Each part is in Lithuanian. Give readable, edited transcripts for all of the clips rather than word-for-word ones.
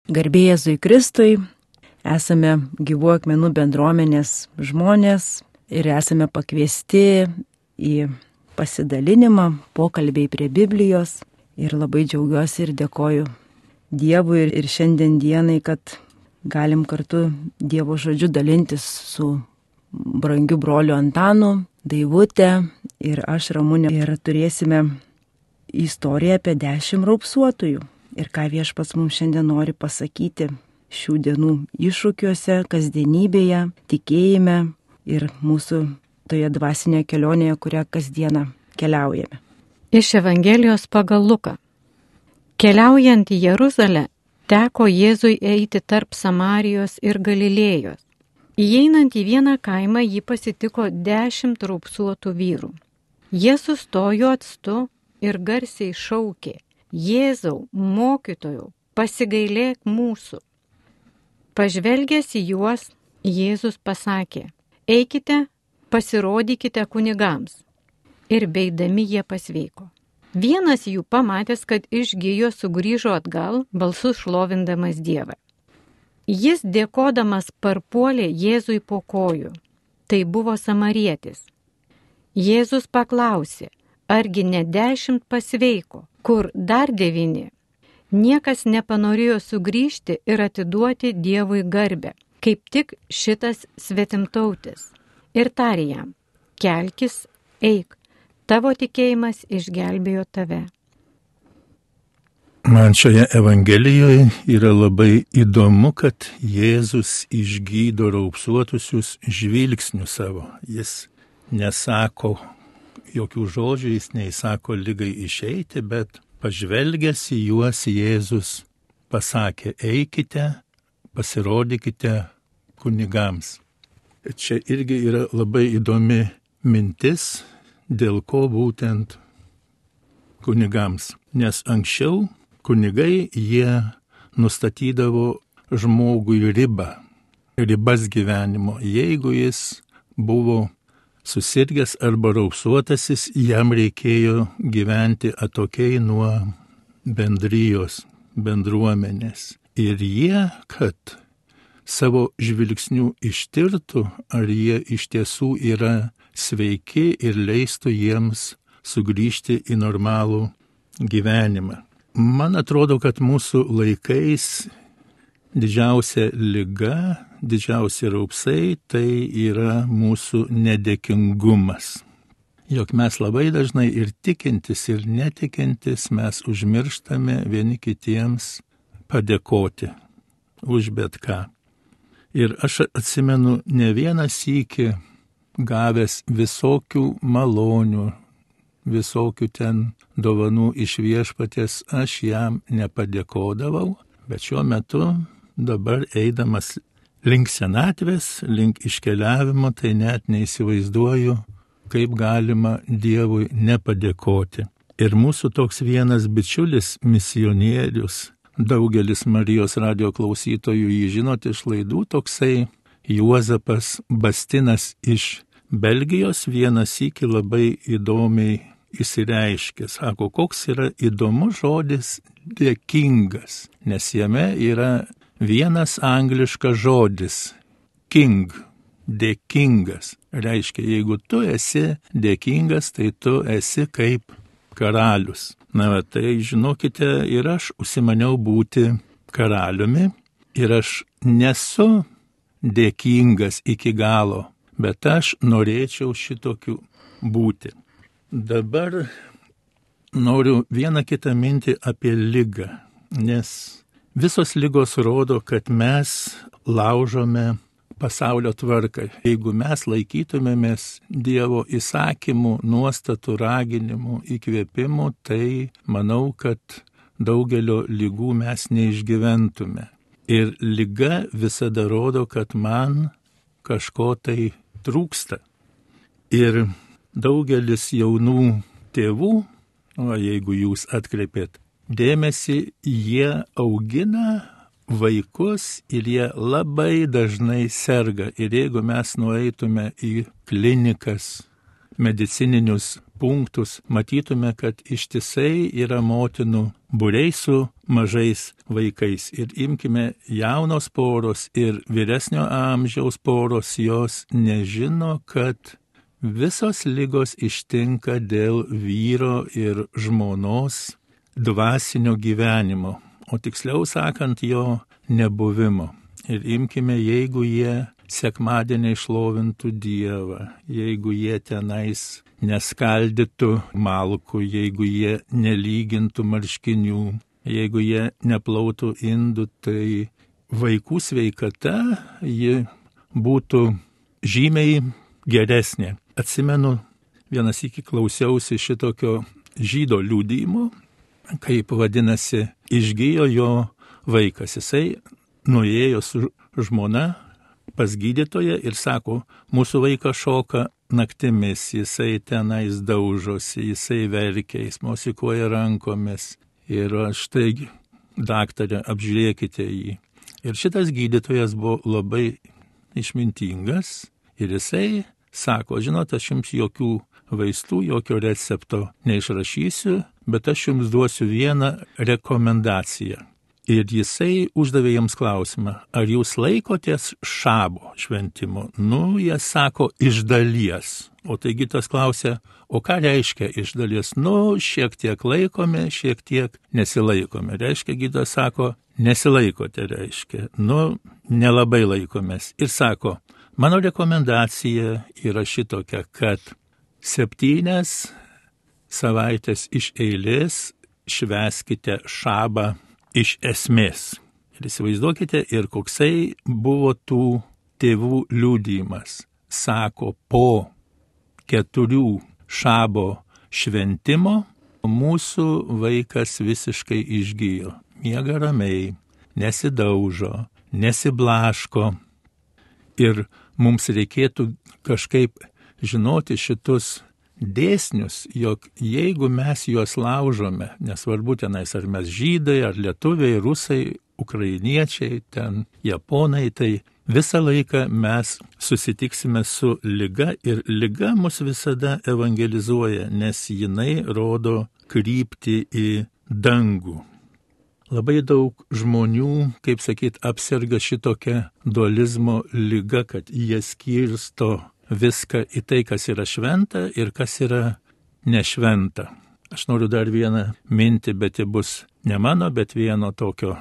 Garbė Jėzui Kristui, esame Gyvų akmenų bendruomenės žmonės ir esame pakviesti į pasidalinimą, pokalbiai prie Biblijos. Ir labai džiaugiuosi ir dėkoju Dievui ir šiandien dienai, kad galim kartu Dievo žodžiu dalintis su brangiu broliu Antanu, Daivute ir aš Ramunė. Ir turėsime istoriją apie 10 raupsuotųjų. Ir ką Viešpats mums šiandien nori pasakyti šių dienų iššūkiuose, kasdienybėje, tikėjime ir mūsų toje dvasinėje kelionėje, kurią kasdieną keliaujame. Iš Evangelijos pagal Luką. Keliaujant į Jeruzalę, teko Jėzui eiti tarp Samarijos ir Galilėjos. Įeinant į vieną kaimą, jį pasitiko 10 raupsuotų vyrų. Jie sustojo atstu ir garsiai šaukė: Jėzau, mokytojau, pasigailėk mūsų. Pažvelgęs į juos, Jėzus pasakė: eikite, pasirodykite kunigams. Ir beidami jie pasveiko. Vienas jų, pamatęs, kad išgijo, sugrįžo atgal, balsu šlovindamas Dievą. Jis dėkodamas parpuolė Jėzui po kojų. Tai buvo samarietis. Jėzus paklausė: argi ne 10 pasveiko, kur dar 9? Niekas nepanorėjo sugrįžti ir atiduoti Dievui garbę, kaip tik šitas svetimtautis. Ir tarė jam: kelkis, eik, tavo tikėjimas išgelbėjo tave. Man šioje Evangelijoje yra labai įdomu, kad Jėzus išgydo raupsuotusius žvilgsniu savo. Jis nesako jokių žodžių, jis neįsako ligai išeiti, bet pažvelgęs į juos Jėzus pasakė: eikite, pasirodykite kunigams. Čia irgi yra labai įdomi mintis, dėl ko būtent kunigams. Nes anksčiau kunigai jie nustatydavo žmogui ribas gyvenimo. Jeigu jis buvo susirgęs arba raupsuotasis, jam reikėjo gyventi atokiai nuo bendruomenės. Ir jie, kad savo žvilgsnių ištirtų, ar jie iš tiesų yra sveiki ir leistų jiems sugrįžti į normalų gyvenimą. Man atrodo, kad mūsų laikais didžiausia liga, didžiausi raupsai tai yra mūsų nedėkingumas. Jog mes labai dažnai ir tikintis, ir netikintis mes užmirštame vieni kitiems padėkoti už bet ką. Ir aš atsimenu ne vieną sykį gavęs visokių malonių, visokių ten dovanų iš Viešpaties, aš jam nepadėkodavau, bet šiuo metu dabar eidamas link senatvės, link iškeliavimo, tai net neįsivaizduoju, kaip galima Dievui nepadėkoti. Ir mūsų toks vienas bičiulis, misionierius, daugelis Marijos radijo klausytojų jį žinot iš laidų, toksai Juozapas Bastinas iš Belgijos, vieną sykį labai įdomiai įsireiškė. Sako, koks yra įdomus žodis dėkingas, nes jame yra vienas angliškas žodis – king, dėkingas. Reiškia, jeigu tu esi dėkingas, tai tu esi kaip karalius. Na, tai žinokite, ir aš užsimaniau būti karaliumi ir aš nesu dėkingas iki galo, bet aš norėčiau šitokiu būti. Dabar noriu vieną kitą mintį apie ligą, nes visos ligos rodo, kad mes laužome pasaulio tvarką. Jeigu mes laikytumėmės Dievo įsakymų, nuostatų, raginimų, įkvėpimų, tai manau, kad daugelio ligų mes neišgyventume. Ir liga visada rodo, kad man kažko tai trūksta. Ir daugelis jaunų tėvų, o jeigu jūs atkreipėt dėmesį, jie augina vaikus ir jie labai dažnai serga. Ir jeigu mes nueitume į klinikas, medicininius punktus, matytume, kad ištisai yra motinų būriai su mažais vaikais. Ir imkime jaunos poros ir vyresnio amžiaus poros, jos nežino, kad visos ligos ištinka dėl vyro ir žmonos dvasinio gyvenimo, o tiksliau sakant, jo nebuvimo. Ir imkime, jeigu jie sekmadienį šlovintų Dievą, jeigu jie tenais neskaldytų malkų, jeigu jie nelygintų marškinių, jeigu jie neplautų indų, tai vaikų sveikata ji būtų žymiai geresnė. Atsimenu, vienas iki klausiausi šitokio žydo liudijimo, kaip vadinasi, išgijo jo vaikas. Jisai nuėjo su žmona pas gydytoją ir sako, mūsų vaikas šoka naktimis, jisai tenais daužosi, jisai verkia, jis mosikuoja rankomis. Ir štai, daktarė, apžiūrėkite jį. Ir šitas gydytojas buvo labai išmintingas ir jisai sako, žinot, aš jums jokių vaistų, jokio recepto neišrašysiu, bet aš jums duosiu vieną rekomendaciją. Ir jisai uždavė jiems klausimą, ar jūs laikotės šabo šventimo? Nu, jie sako, iš dalies. O taigi tas klausė, o ką reiškia iš dalies? Nu, šiek tiek laikome, šiek tiek nesilaikome. Reiškia, gydytojas sako, nesilaikote, reiškia. Nu, nelabai laikomės. Ir sako, mano rekomendacija yra šitokia, kad 7 savaitės iš eilės švęskite šabą iš esmės. Ir įsivaizduokite, ir koksai buvo tų tėvų liudijimas. Sako, po 4 šabo šventimo mūsų vaikas visiškai išgijo. Miega ramiai, nesidaužo, nesiblaško. Ir mums reikėtų kažkaip žinoti šitus dėsnius, jog jeigu mes juos laužome, nesvarbu tenais ar mes žydai, ar lietuviai, rusai, ukrainiečiai, ten japonai, tai visą laiką mes susitiksime su liga ir liga mus visada evangelizuoja, nes jinai rodo kryptį į dangų. Labai daug žmonių, kaip sakyt, apserga šitokią dualizmo ligą, kad jie skirsto viską į tai, kas yra šventa ir kas yra nešventa. Aš noriu dar vieną mintį, bet ji bus ne mano, bet vieno tokio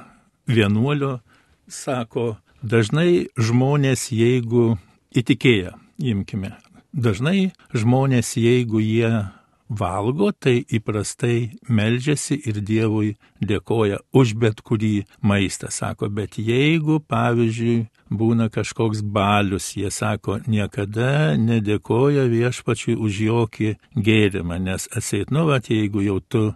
vienuolio. Sako, dažnai žmonės, jeigu įtikėję, imkime, dažnai žmonės, jeigu jie valgo, tai įprastai meldžiasi ir Dievui dėkoja už bet kurį maistą. Sako, bet jeigu, pavyzdžiui, būna kažkoks balius, jie sako, niekada nedėkoja viešpačiui už jokį gėrimą, nes atseit, jeigu jau tu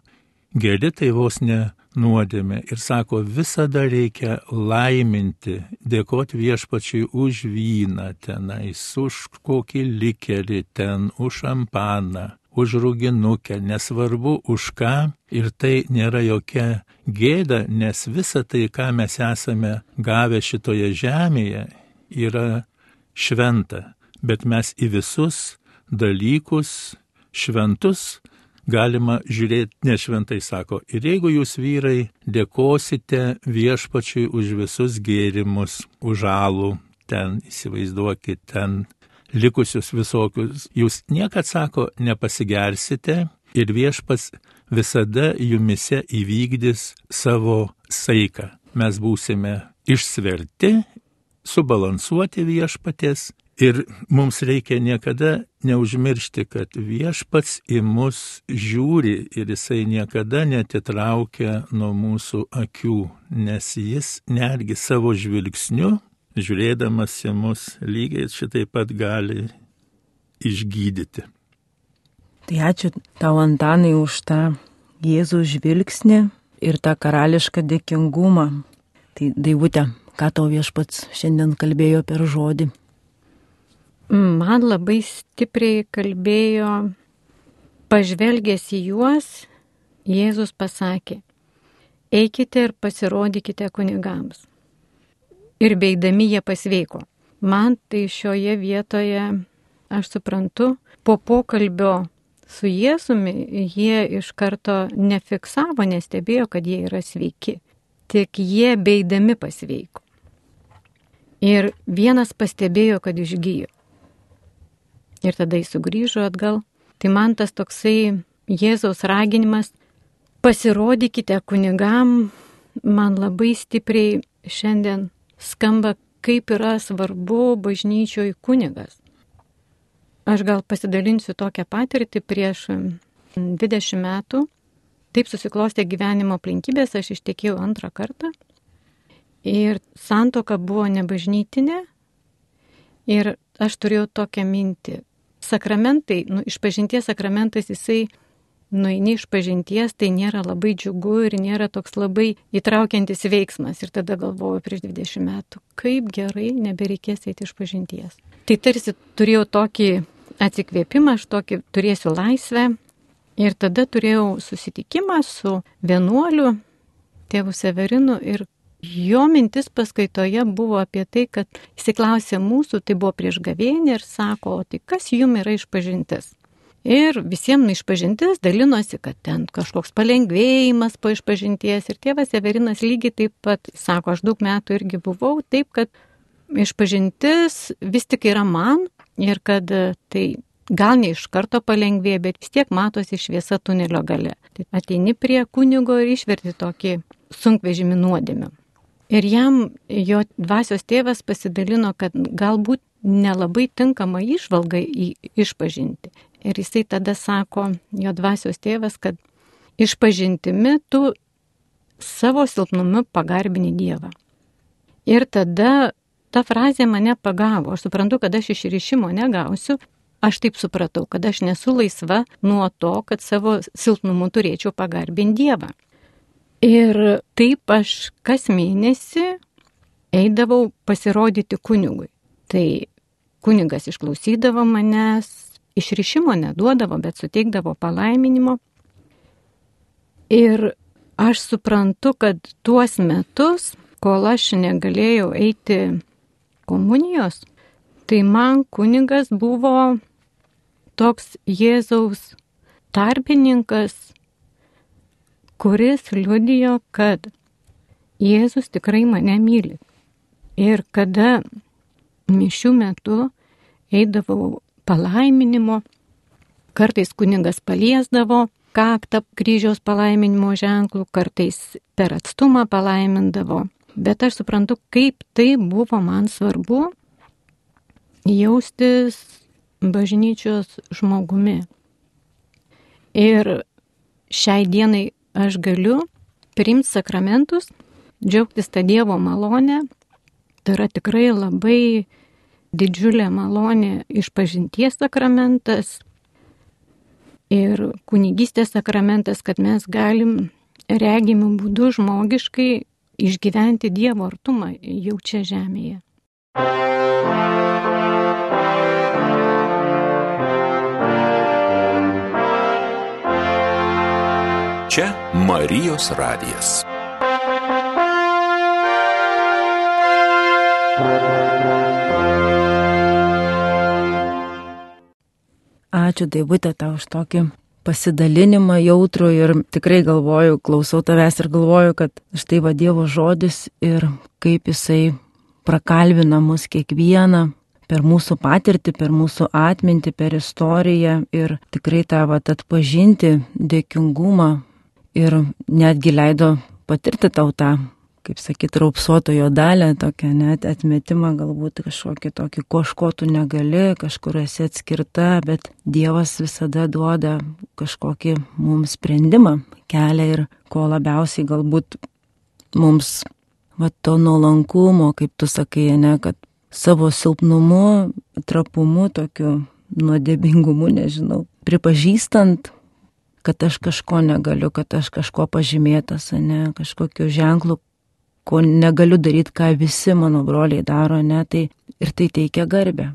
geri, tai vos ne nuodėmė. Ir sako, visada reikia laiminti, dėkoti viešpačiui už vyną tenais, už kokį likerį ten, už šampaną, už rūginukę, nesvarbu už ką, ir tai nėra jokia gėda, nes visa tai, ką mes esame gavę šitoje žemėje, yra šventa, bet mes į visus dalykus šventus galima žiūrėti nešventai, sako. Ir jeigu jūs vyrai dėkosite viešpačiui už visus gėrimus, už alų, ten įsivaizduokit, ten likusius visokius, jūs niekad, sako, nepasigersite ir viešpats visada jumise įvykdys savo saiką. Mes būsime išsverti, subalansuoti viešpaties ir mums reikia niekada neužmiršti, kad viešpats į mus žiūri ir jisai niekada netitraukia nuo mūsų akių, nes jis netgi savo žvilgsniu, žiūrėdamas į mus, lygiai šitaip pat gali išgydyti. Tai ačiū tau, Antanai, už tą Jėzų žvilgsnį ir tą karališką dėkingumą. Tai Daivute, ką tau viešpats šiandien kalbėjo per žodį? Man labai stipriai kalbėjo, pažvelgęs į juos, Jėzus pasakė, eikite ir pasirodykite kunigams. Ir beidami jie pasveiko. Man tai šioje vietoje, aš suprantu, po pokalbio su Jėzumi, jie iš karto nefiksavo, nestebėjo, kad jie yra sveiki. Tik jie beidami pasveiko. Ir vienas pastebėjo, kad išgijo. Ir tada jis sugrįžo atgal. Tai man tas toksai Jėzaus raginimas, pasirodykite kunigam, man labai stipriai šiandien skamba, kaip yra svarbu bažnyčioj kunigas. Aš gal pasidalinsiu tokią patirtį prieš 20 metų. Taip susiklostė gyvenimo aplinkybės, aš ištekėjau 2 kartą. Ir santuoka buvo nebažnytinė. Ir aš turėjau tokią mintį. Sakramentai, išpažinties sakramentas, jisai nueini išpažinties, tai nėra labai džiugu ir nėra toks labai įtraukiantis veiksmas. Ir tada galvojau prieš 20 metų, kaip gerai nebereikės eiti išpažinties. Tai tarsi turėjau tokį atsikvėpimą, aš tokį turėsiu laisvę. Ir tada turėjau susitikimą su vienuoliu, tėvu Severinu, ir jo mintis paskaitoje buvo apie tai, kad jis klausė mūsų, tai buvo prieš gavėnią, ir sako, o tai kas jums yra išpažintis? Ir visiems išpažintis dalinosi, kad ten kažkoks palengvėjimas po išpažinties. Ir tėvas Severinas lygiai taip pat sako, aš daug metų irgi buvau, taip kad išpažintis vis tik yra man ir kad tai gal ne iš karto palengvėja, bet vis tiek matosi šviesa tunelio gale. Tai ateini prie kunigo ir išverti tokį sunkvežimį nuodėmę. Ir jam jo dvasios tėvas pasidalino, kad galbūt nelabai tinkama įžvalga išpažinti. Ir jisai tada sako, jo dvasios tėvas, kad išpažintimi tu savo silpnumu pagarbini Dievą. Ir tada ta frazė mane pagavo. Aš suprantu, kad aš išrišimo negausiu. Aš taip supratau, kad aš nesu laisva nuo to, kad savo silpnumu turėčiau pagarbinti Dievą. Ir taip aš kas mėnesį eidavau pasirodyti kunigui. Tai kunigas išklausydavo manęs, išrišimo neduodavo, bet suteikdavo palaiminimo. Ir aš suprantu, kad tuos metus, kol aš negalėjau eiti komunijos, tai man kunigas buvo toks Jėzaus tarpininkas, kuris liudijo, kad Jėzus tikrai mane myli. Ir kada mišių metu eidavau palaiminimo, kartais kunigas paliesdavo kaktą kryžiaus palaiminimo ženklų, kartais per atstumą palaimindavo. Bet aš suprantu, kaip tai buvo man svarbu jaustis bažnyčios žmogumi. Ir šiai dienai aš galiu priimti sakramentus, džiaugtis tą Dievo malonę. Tai yra tikrai labai didžiulė malonė išpažinties sakramentas ir kunigystės sakramentas, kad mes galim regimų būdų žmogiškai išgyventi Dievo artumą jau čia žemėje. Čia Marijos radijas. Ačiū, Daivute, tau už tokį pasidalinimą jautrų ir tikrai galvoju, klausau tavęs ir galvoju, kad štai va Dievo žodis ir kaip jisai prakalbina mus kiekvieną per mūsų patirtį, per mūsų atmintį, per istoriją ir tikrai tą atpažinti dėkingumą ir netgi leido patirti tau tą, kaip sakyt, raupsuotojo dalę, tokią net atmetimą, galbūt kažkokį tokį, kažko tu negali, kažkur esi atskirta, bet Dievas visada duoda kažkokį mums sprendimą, kelią ir ko labiausiai galbūt mums to nuolankumo, kaip tu sakai, ne, kad savo silpnumu, trapumu, tokiu nuodėmingumu, nežinau, pripažįstant, kad aš kažko negaliu, kad aš kažko pažymėtas, ne, kažkokiu ženklu, ko negaliu daryti, ką visi mano broliai daro, ne, tai ir tai teikia garbę.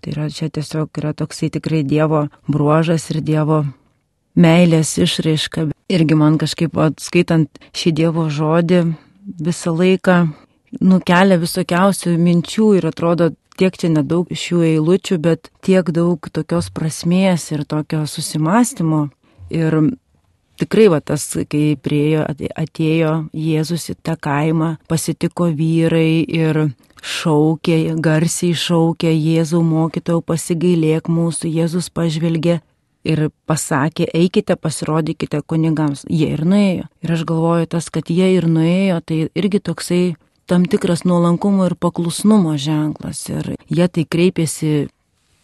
Tai yra, čia tiesiog yra toksai tikrai Dievo bruožas ir Dievo meilės išraiška. Irgi man kažkaip, skaitant šį Dievo žodį, visą laiką nukelia visokiausių minčių ir atrodo tiek čia nedaug šių eilučių, bet tiek daug tokios prasmės ir tokio susimastymo. Ir tikrai tas, kai atėjo Jėzus į tą kaimą, pasitiko vyrai ir šaukė, garsiai šaukė: Jėzau mokytojau, pasigailėk mūsų. Jėzus pažvelgė ir pasakė: eikite, pasirodykite kunigams. Jie ir nuėjo. Ir aš galvoju, tas, kad jie ir nuėjo, tai irgi toksai tam tikras nuolankumo ir paklusnumo ženklas. Ir jie tai kreipėsi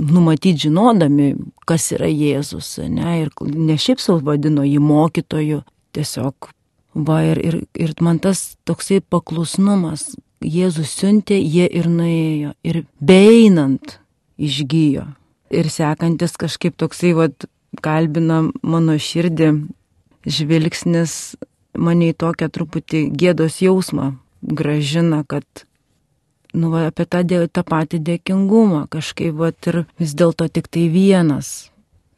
numatyti žinodami, kas yra Jėzus, ne? Ir ne šiaip savo vadino jį mokytoju, tiesiog ir man tas toksai paklusnumas. Jėzus siuntė, jie ir nuėjo. Ir beeinant išgijo. Ir sekantis kažkaip toksai kalbina mano širdį žvilgsnis, mane į tokią truputį gėdos jausmą gražina, kad apie tą patį dėkingumą kažkaip ir vis dėlto tik tai vienas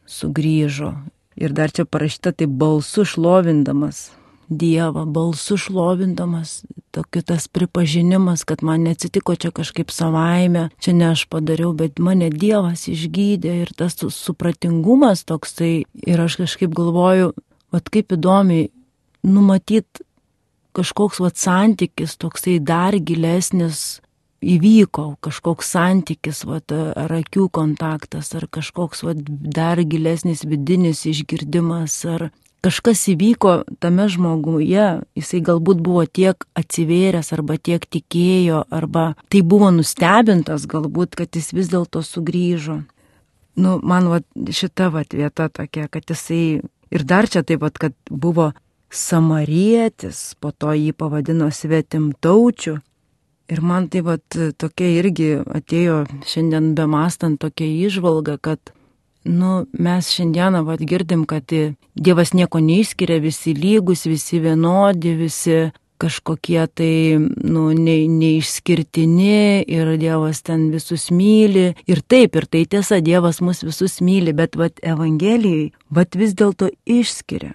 sugrįžo. Ir dar čia parašyta tai balsu šlovindamas Dievą, balsu šlovindamas, tas pripažinimas, kad man neatsitiko čia kažkaip savaime, čia ne aš padariau, bet mane Dievas išgydė. Ir tas supratingumas toksai. Ir aš kažkaip galvoju, kaip įdomiai numatyti kažkoks santykis toksai dar gilesnis įvyko, kažkoks santykis, ar akių kontaktas, ar kažkoks dar gilesnis vidinis išgirdimas, ar kažkas įvyko tame žmoguje, jisai galbūt buvo tiek atsivėręs, arba tiek tikėjo, arba tai buvo nustebintas galbūt, kad jis vis dėlto sugrįžo. Man šita vieta tokia, kad jisai ir dar čia taip kad buvo samarietis, po to jį pavadino svetimtaučiu. Ir man tai tokia irgi atėjo šiandien bemastant tokia įžvalga, kad mes šiandieną girdim, kad Dievas nieko neišskiria, visi lygus, visi vienodi, visi kažkokie tai neišskirtini ir Dievas ten visus myli. Ir taip, ir tai tiesa, Dievas mus visus myli, bet Evangelijai vis dėlto išskiria.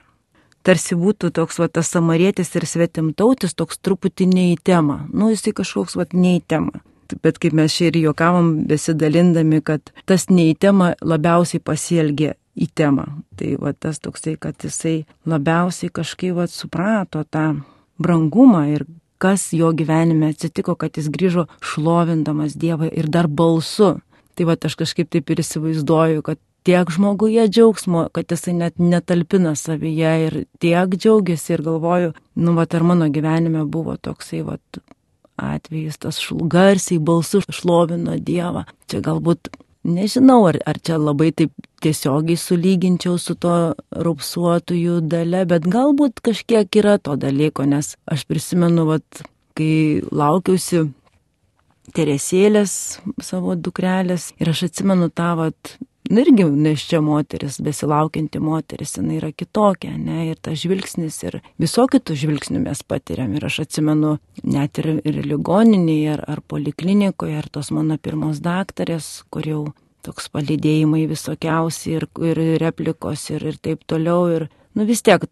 Tarsi būtų toks tas samarietis ir svetimtautis toks truputį ne į temą. Jisai kažkoks ne į temą. Bet kaip mes čia ir juokavom besidalindami, kad tas ne į temą labiausiai pasielgė į temą. Tai tas toksai, kad jisai labiausiai kažkaip suprato tą brangumą ir kas jo gyvenime atsitiko, kad jis grįžo šlovindamas Dievą ir dar balsu. Tai aš kažkaip taip ir įsivaizduoju, kad tiek žmoguje džiaugsmo, kad jisai net netalpina savyje ir tiek džiaugiasi ir galvoju, ar mano gyvenime buvo toksai atvejis, tas garsiai balsu šlovino Dievą. Čia galbūt, nežinau, ar čia labai taip tiesiogiai sulyginčiau su to raupsuotųjų dalia, bet galbūt kažkiek yra to dalyko, nes aš prisimenu, kai laukiausi Teresėlės, savo dukrelės, ir aš atsimenu tą irgi neščia moteris, besilaukianti moteris, jinai yra kitokia, ne, ir tas žvilgsnis, ir visokių tų žvilgsnių mes patiriam. Ir aš atsimenu net ir ligoninėje, ar poliklinikoje, ar tos mano pirmos daktarės, kur jau toks palydėjimai visokiausi ir replikos ir taip toliau. Ir vis tiek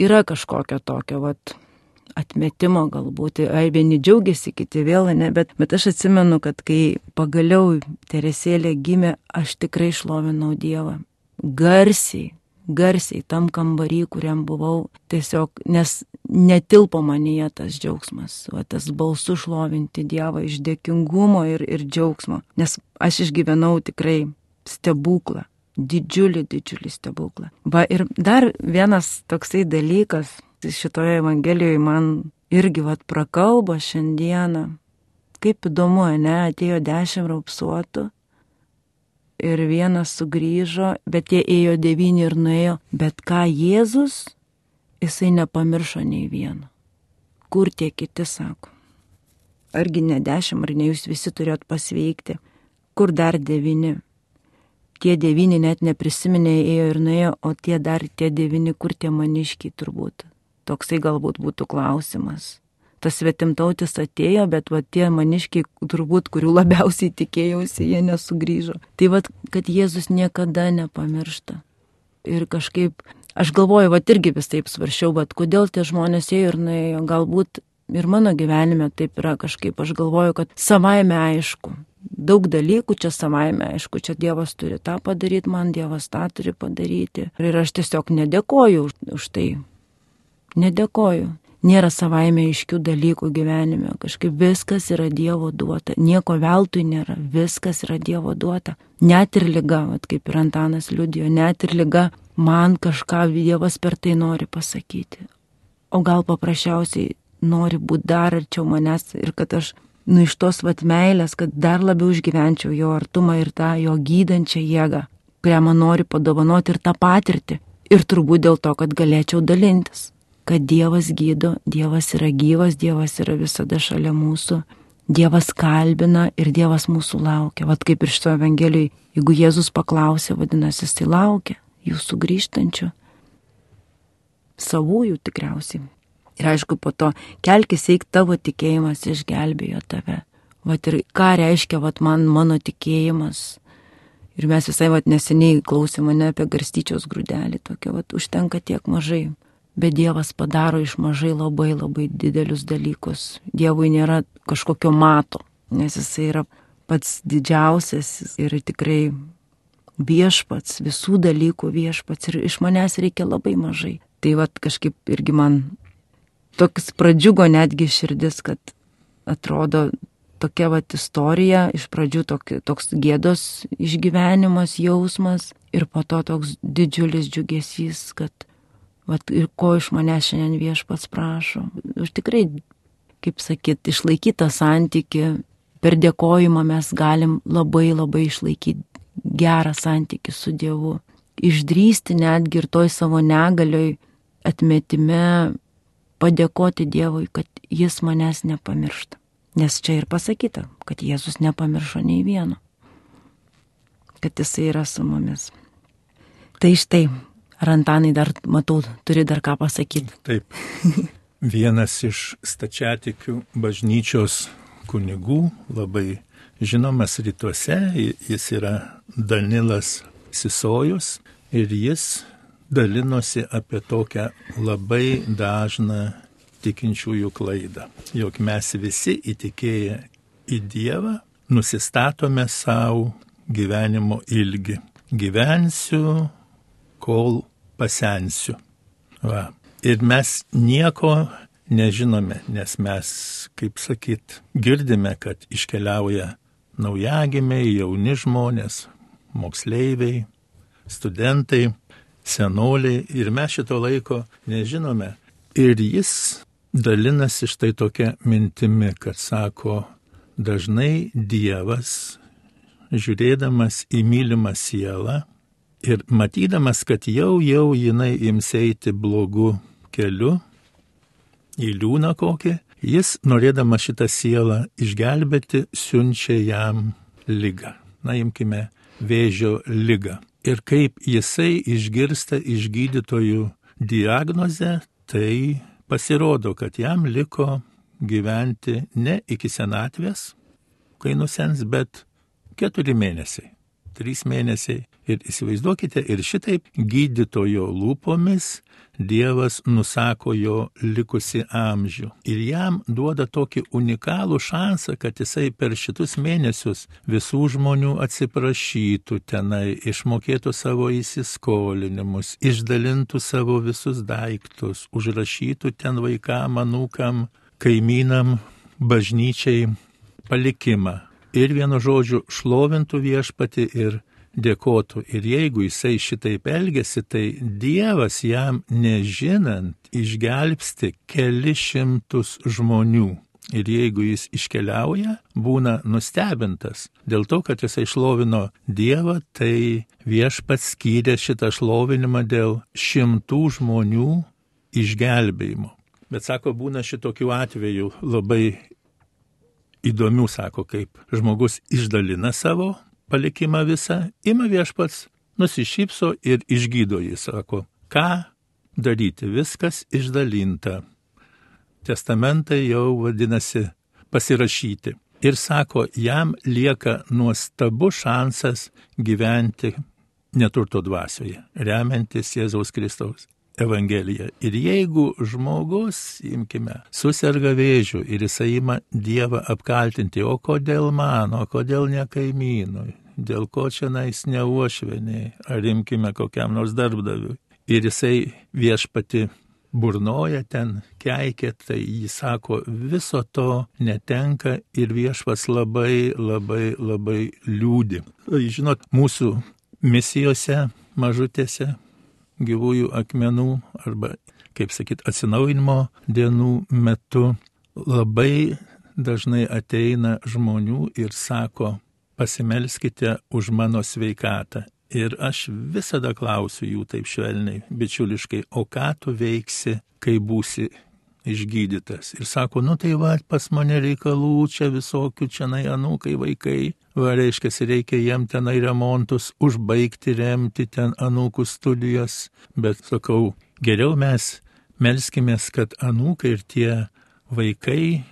yra kažkokio tokio atmetimo galbūt. Vieni džiaugiasi, kiti vėl ne, bet aš atsimenu, kad kai pagaliau Teresėlė gimė, aš tikrai šlovinau Dievą. Garsiai tam kambarį, kuriam buvau, tiesiog, nes netilpo manyje tas džiaugsmas, tas balsu šlovinti Dievą iš dėkingumo ir džiaugsmo. Nes aš išgyvenau tikrai stebuklą, didžiulį stebuklą. Ir dar vienas toksai dalykas, šitoje Evangelijoje man irgi prakalbo šiandieną. Kaip įdomu, ne, atėjo 10 raupsuotų ir vienas sugrįžo, bet jie ėjo 9 ir nuėjo. Bet ką Jėzus, jisai nepamiršo nei vieno. Kur tie kiti, sako? Argi ne 10, ar ne jūs visi turėjot pasveikti? Kur dar 9? Tie 9 net neprisiminė, ėjo ir nuėjo, o tie 9, kur tie maniškiai turbūt? Toksai galbūt būtų klausimas. Tas svetimtautis atėjo, bet tie maniškiai turbūt, kurių labiausiai tikėjausi, jie nesugrįžo. Tai kad Jėzus niekada nepamiršta. Ir kažkaip, aš galvoju, irgi vis taip svaršiau, kodėl tie žmonės ėjo ir nuėjo. Galbūt ir mano gyvenime taip yra kažkaip, aš galvoju, kad savaime aišku. daug dalykų čia savaime, aišku, čia Dievas turi tą padaryti, man Dievas tą turi padaryti. Ir aš tiesiog nedėkoju už tai. Nedėkoju. Nėra savaime aiškių dalykų gyvenime. Kažkaip viskas yra Dievo duota. Nieko veltui nėra. Viskas yra Dievo duota. Net ir liga, kaip ir Antanas liudijo, net ir liga man kažką Dievas per tai nori pasakyti. O gal paprasčiausiai nori būti dar arčiau manęs ir kad aš iš tos meilės, kad dar labiau išgyvenčiau jo artumą ir tą jo gydančią jėgą, kurią man nori padovanoti ir tą patirtį. Ir turbūt dėl to, kad galėčiau dalintis. Kad Dievas gydo, Dievas yra gyvas, Dievas yra visada šalia mūsų, Dievas kalbina ir Dievas mūsų laukia. Vat kaip ir šito Evangelijai, jeigu Jėzus paklausė, vadinasi, jis laukia jūsų grįžtančių, savųjų tikriausiai. Ir aišku, po to kelkis eik, tavo tikėjimas išgelbėjo tave. Vat ir ką reiškia mano tikėjimas. Ir mes visai neseniai klausėme mane apie garstyčios grūdelį, tokia užtenka tiek mažai. Bet Dievas padaro iš mažai labai labai didelius dalykus. Dievui nėra kažkokio mato, nes jisai yra pats didžiausias ir tikrai viešpats, visų dalykų viešpats. Ir iš manęs reikia labai mažai. Tai kažkaip irgi man toks pradžiugo netgi širdis, kad atrodo tokia istorija, iš pradžių toks gėdos išgyvenimas, jausmas ir po to toks didžiulis džiugesys, kad ir ko iš manęs šiandien viešpats prašo. Aš tikrai, kaip sakyt, išlaikyti tą santykį, per dėkojimą mes galim labai labai išlaikyti gerą santykį su Dievu. Išdrįsti netgi ir toj savo negalioj atmetime padėkoti Dievui, kad jis manęs nepamiršta. Nes čia ir pasakyta, kad Jėzus nepamiršo nei vieno. Kad jisai yra su mumis. Tai štai. Ar Antanai dar, matau, turi dar ką pasakyti? Taip. Vienas iš stačiatikių bažnyčios kunigų, labai žinomas rytuose, jis yra Danilas Sisojus ir jis dalinosi apie tokią labai dažną tikinčiųjų klaidą, jog mes visi įtikėję į Dievą nusistatome savo gyvenimo ilgį. Gyvensiu, kol pasensiu. Ir mes nieko nežinome, nes mes, kaip sakyt, girdime, kad iškeliauja naujagimiai, jauni žmonės, moksleiviai, studentai, senoliai ir mes šito laiko nežinome. Ir jis dalinasi štai tokia mintimi, kad sako, dažnai Dievas, žiūrėdamas į mylimą sielą, ir matydamas, kad jau jinai ims eiti blogu keliu, į liūną kokį, jis, norėdamas šitą sielą išgelbėti, siunčia jam ligą. Na, imkime vėžio ligą. Ir kaip jisai išgirsta iš gydytojų diagnozę, tai pasirodo, kad jam liko gyventi ne iki senatvės, kai nusens, bet 4 mėnesiai. 3 mėnesiai. Ir įsivaizduokite, ir šitaip gydytojo lūpomis Dievas nusako jo likusi amžių. Ir jam duoda tokį unikalų šansą, kad jisai per šitus mėnesius visų žmonių atsiprašytų tenai, išmokėtų savo įsiskolinimus, išdalintų savo visus daiktus, užrašytų ten vaikam, anūkam, kaimynam, bažnyčiai palikimą. Ir vienu žodžiu šlovintų viešpatį ir dėkotų. Ir jeigu jisai šitaip elgesi, tai Dievas jam nežinant išgelbsti kelis šimtus žmonių. Ir jeigu jis iškeliauja, būna nustebintas. Dėl to, kad jisai šlovino Dievą, tai viešpats skyrė šitą šlovinimą dėl 100 žmonių išgelbėjimo. Bet sako, būna šitokių atvejų labai įdomių, sako, kaip žmogus išdalina savo palikimą visą, ima viešpats, nusišypso ir išgydo jį, sako, ką daryti, viskas išdalinta. Testamentai jau vadinasi pasirašyti. Ir sako, jam lieka nuostabus šansas gyventi neturto dvasioje, remiantis Jėzaus Kristaus Evangelija. Ir jeigu žmogus, imkime, susirga vėžiu ir jisai ima Dievą apkaltinti, o kodėl man, o kodėl ne kaimynui, dėl ko čia nais ne uošvieniai, ar imkime kokiam nors darbdaviui. Ir jisai viešpati burnoja ten, keikia, tai jis sako, viso to netenka ir viešpas labai liūdi. Žinot, mūsų misijose mažutėse gyvųjų akmenų arba, kaip sakyt, atsinaujinimo dienų metu labai dažnai ateina žmonių ir sako, pasimelskite už mano sveikatą. Ir aš visada klausiu jų taip švelniai, bičiuliškai, o ką tu veiksi, kai būsi išgydytas? Ir sako, tai va, pas mane reikalų, čia visokių, čia anūkai, vaikai. Va, reiškia, reikia jiem tenai remontus užbaigti, remti ten anūkų studijas. Bet sakau, geriau mes melskimės, kad anūkai ir tie vaikai,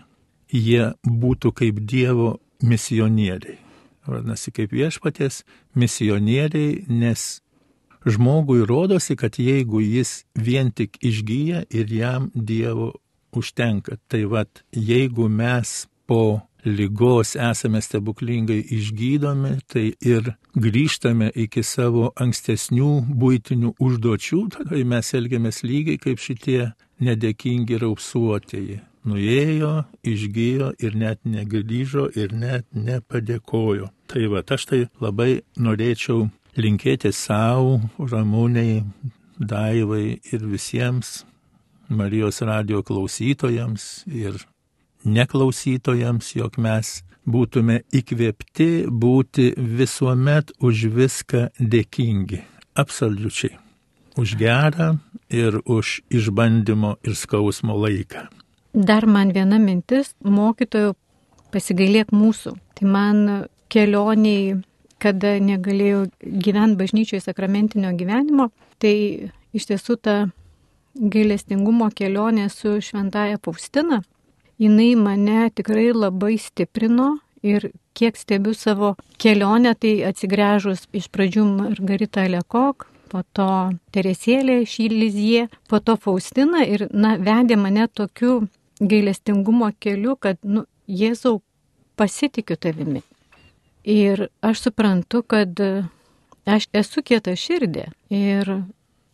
jie būtų kaip Dievo misionieriai. Vadinasi, kaip viešpaties misionieriai, nes žmogui rodosi, kad jeigu jis vien tik išgyja ir jam Dievo užtenka. Tai vat, jeigu mes po ligos esame stebuklingai išgydomi, tai ir grįžtame iki savo ankstesnių buitinių užduočių, tada mes elgiamės lygiai kaip šitie nedėkingi raupsuotieji. Nuėjo, išgyjo ir net negrįžo ir net nepadėkojo. Tai va, aš tai labai norėčiau linkėti savo, Ramūnei, Daivai ir visiems Marijos radijo klausytojams ir neklausytojams, jog mes būtume įkvėpti būti visuomet už viską dėkingi. Absoliučiai. Už gerą ir už išbandymo ir skausmo laiką. Dar man viena mintis, mokytojų, pasigailėk mūsų. Tai man kelioniai, kada negalėjau gyventi bažnyčioje sakramentinio gyvenimo, tai iš tiesų ta gailestingumo kelionė su šventaja Faustina, jinai mane tikrai labai stiprino ir kiek stebiu savo kelionę, tai atsigręžus iš pradžių Margarita Lekok, po to Teresėlė iš Lizie, po to Faustina ir vedė mane tokiu gailestingumo keliu, kad Jėzau, pasitikiu tavimi. Ir aš suprantu, kad aš esu kieta širdė ir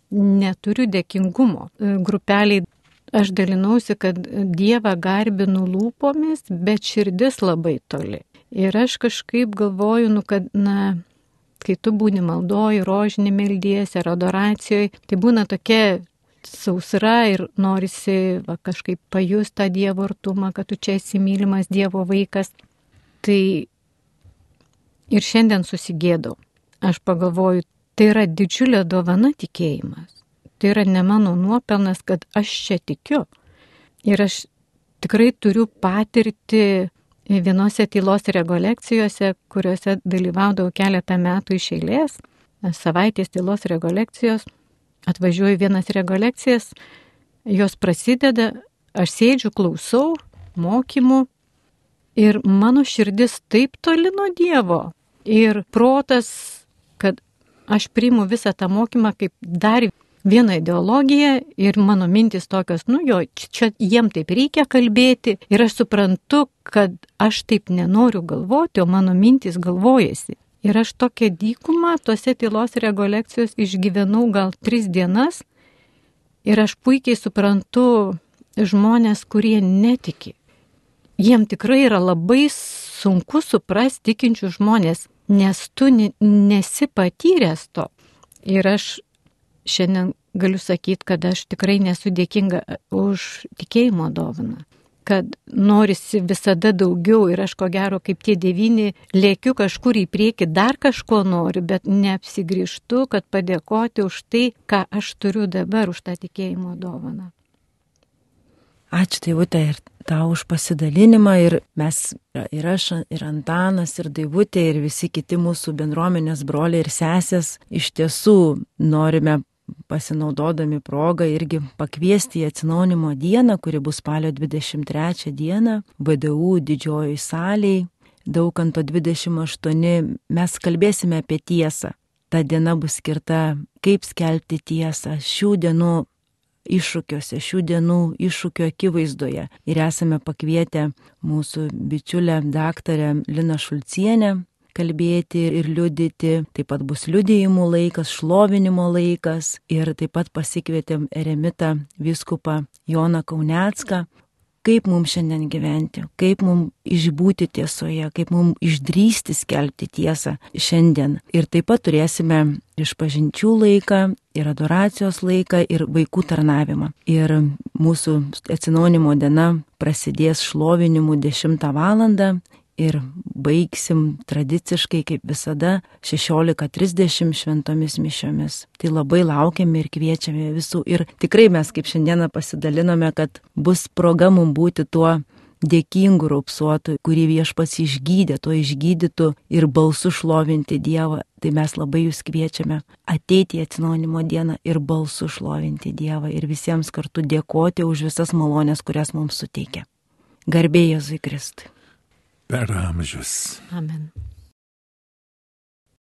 neturiu dėkingumo. Grupeliai aš dalinausi, kad Dievą garbinu lūpomis, bet širdis labai toli. Ir aš kažkaip galvoju, kad kai tu būni maldoj, rožinį meldiesi ar adoracijoje, tai būna tokia sausra ir norisi kažkaip pajust tą Dievo artumą, kad tu čia esi mylimas Dievo vaikas. Tai ir šiandien susigėdau. Aš pagalvoju, tai yra didžiulė dovana tikėjimas. Tai yra ne mano nuopelnas, kad aš čia tikiu. Ir aš tikrai turiu patirti vienose tylos rekolekcijose, kuriuose dalyvaudavau keletą metų iš eilės, savaitės tylos rekolekcijos. Atvažiuoju vienas rekolekcijas, jos prasideda, aš sėdžiu, klausau mokymų ir mano širdis taip toli nuo Dievo ir protas, kad aš priimu visą tą mokymą kaip dar vieną ideologiją ir mano mintis tokios, čia jiem taip reikia kalbėti ir aš suprantu, kad aš taip nenoriu galvoti, o mano mintis galvojasi. Ir aš tokią dykumą tose tylos rekolekcijos išgyvenau gal 3 dienas ir aš puikiai suprantu žmonės, kurie netiki. Jiem tikrai yra labai sunku suprasti tikinčių žmonės, nes tu nesi patyręs to. Ir aš šiandien galiu sakyti, kad aš tikrai nesu dėkinga už tikėjimo dovaną. Kad norisi visada daugiau ir aš ko gero kaip tie 9 lėkiu kažkur į priekį, dar kažko noriu, bet neapsigrįžtu, kad padėkoti už tai, ką aš turiu dabar, už tą tikėjimo dovaną. Ačiū Daivutė ir tau už pasidalinimą ir mes, ir aš, ir Antanas, ir Daivutė, ir visi kiti mūsų bendruomenės broliai ir sesės iš tiesų norime pasinaudodami progą irgi pakviesti į atsinaujinimo dieną, kuri bus spalio 23 dieną, VDU didžiojoj salėj, Daukanto 28, mes kalbėsime apie tiesą. Ta diena bus skirta, kaip skelbti tiesą. Šių dienų iššūkiuose, šių dienų iššūkių akivaizdoje. Ir esame pakvietę mūsų bičiulę daktarę Liną Šulcienę kalbėti ir liudyti. Taip pat bus liudijimų laikas, šlovinimo laikas ir taip pat pasikvietėm eremitą vyskupą Joną Kaunecką. Kaip mums šiandien gyventi, kaip mums išbūti tiesoje, kaip mums išdrįsti skelbti tiesą šiandien. Ir taip pat turėsime išpažinčių laiką, ir adoracijos laiką, ir vaikų tarnavimą. Ir mūsų atsinaujinimo diena prasidės šlovinimu 10 valandą. Ir baigsim tradiciškai, kaip visada, 16:30 šventomis mišiomis. Tai labai laukiame ir kviečiame visų. Ir tikrai mes kaip šiandieną pasidalinome, kad bus proga mums būti tuo dėkingu raupsuotu, kurį Viešpats išgydė, tuo išgydytų ir balsu šlovinti Dievą. Tai mes labai jūs kviečiame ateiti į atsinaujinimo dieną ir balsu šlovinti Dievą ir visiems kartu dėkoti už visas malonės, kurias mums suteikia. Garbė Jėzui Kristui. Per amžius. Amen.